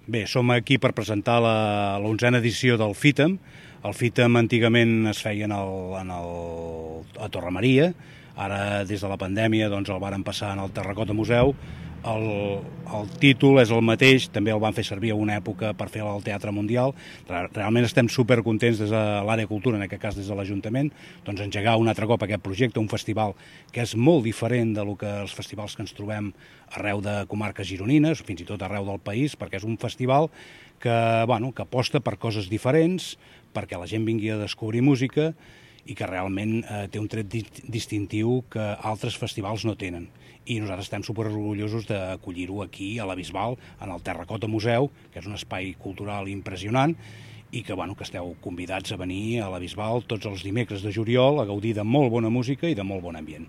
Bé, som aquí per presentar l'11a edició del FITAM. El FITAM antigament es feia a Torre Maria, ara des de la pandèmia doncs, el varen passar en el Terracota Museu. El títol és el mateix, també el van fer servir a una època per fer al Teatre Mundial. Realment estem supercontents des de l'àrea cultura, en aquest cas des de l'Ajuntament, doncs engegar un altre cop aquest projecte, un festival que és molt diferent de lo que els festivals que ens trobem arreu de comarques gironines, fins i tot arreu del país, perquè és un festival que aposta per coses diferents, perquè la gent vingui a descobrir música i que realment té un tret distintiu que altres festivals no tenen. I nosaltres estem superorgullosos d'acollir-ho aquí, a la Bisbal, en el Terracota Museu, que és un espai cultural impressionant, i que esteu convidats a venir a la Bisbal tots els dimecres de juliol a gaudir de molt bona música i de molt bon ambient.